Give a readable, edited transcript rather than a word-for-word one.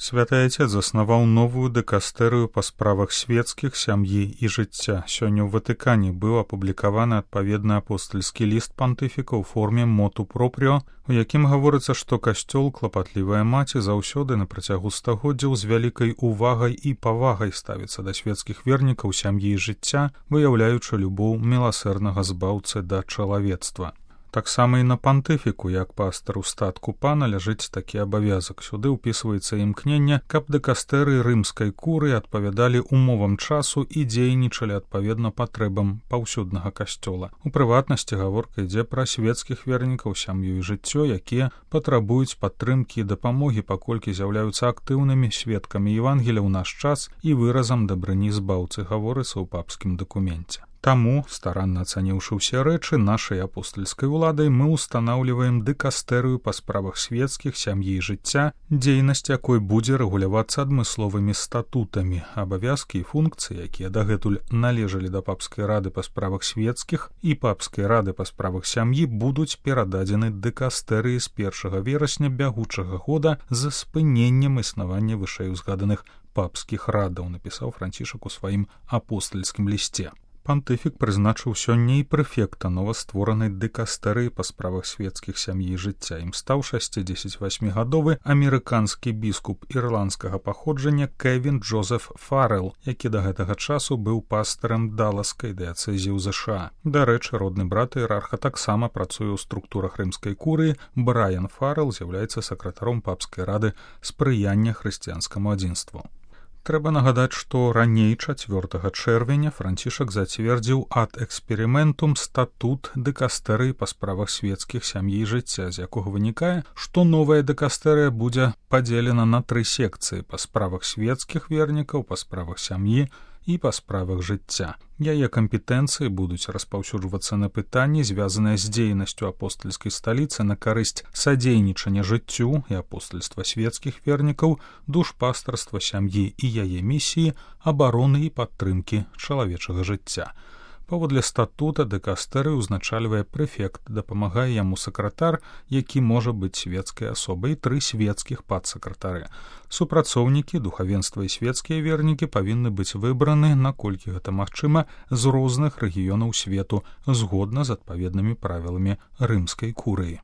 Святы Отец заснаваў новую дэкастэрыю па справах свецкіх, сям'і і жыцця. Сёння ў Ватыкане быў апублікаваны адпаведны апостальскі ліст пантыфіка ў форме моту пропріо, у якім гаворыцца, што касцёл, клапатлівая маці, заўсёды на працягу стагоддзяў з вялікай увагай і павагай ставіцца да свецкіх вернікаў, сям'і і жыцця, выяўляючы любоў міласэрнага збаўцы да чалавецтва. Таксама і на пантыфіку, як пастару статку пана, ляжыць такі абавязак. Сюды ўпісваецца імкненне, каб дэкастэры рымскай куры адпавядалі умовам часу і дзейнічалі адпаведна патрэбам паўсюднага касцёла. У прыватнасці гаворка ідзе пра свецкіх вернікаў, сям'ю і жыццё, якія патрабуюць падтрымкі і дапамогі, паколькі з'яўляюцца актыўнымі сведкамі Евангелія ў наш час і выразам дабрыні збаўцы, гаворыцца ў папскім дакуменце. Таму, старанна ацаніўшы ўсе рэчы, нашай апостальскай уладай мы ўстанаўліваем дэкастэрыю па справах свецкіх, сям'і і жыцця, дзейнасць якой будзе рэгулявацца адмысловымі статутамі. Абавязкі і функцыі, якія дагэтуль належалі да папскай рады па справах свецкіх і папскай рады па справах сям'і, будуць перададзены дэкастэрыі з 1 верасня бягучага года з спыненнем існавання вышэйузгаданых папскіх радаў, напісаў Францішак у сваім апостальскім лісце. Пантыфік прызначыў сёння і прэфекта новастворанай дэкастэрыі па справах свецкіх, сям'і і жыцця. Ім стаў 68-гадовы амерыканскі біскуп ірландскага паходжання Кевін Джозеф Фаррелл, які да гэтага часу быў пастарам даласкай дыяцэзіі ў ЗША. Дарэчы, родны брат іерарха таксама працуе ў структурах рымскай курыі. Брайан Фаррелл з'яўляецца сакратаром папскай рады спрыяння хрысціянскаму адзінству. Трэба нагадаць, што раней 4 чэрвеня Францішак зацвердзіў ад эксперыментум статут дэкастэрыі па справах свецкіх, сям'і і жыцця, з якога вынікае, што новая дэкастэрыя будзе падзелена на 3 секцыі па справах свецкіх вернікаў, па справах сям'і і па справах жыцця. Яе кампетэнцыі будуць распаўсюджвацца на пытанні, звязаныя з дзейнасцю апостальскай сталіцы на карысць садзейнічання жыццю і апостальства свецкіх вернікаў, душпастарства сям'і і яе місіі, абароны і падтрымкі чалавечага жыцця. Паводле статута дэкастэрыю узначальвае прэфект, дапамагае яму сакратар, які можа быць свецкай асобай, 3 свецкіх падсакратары. Супрацоўнікі, духавенства і свецкія вернікі павінны быць выбраны, наколькі гэта магчыма, з розных рэгіёнаў свету, згодна з адпаведнымі правіламі рымскай курыі.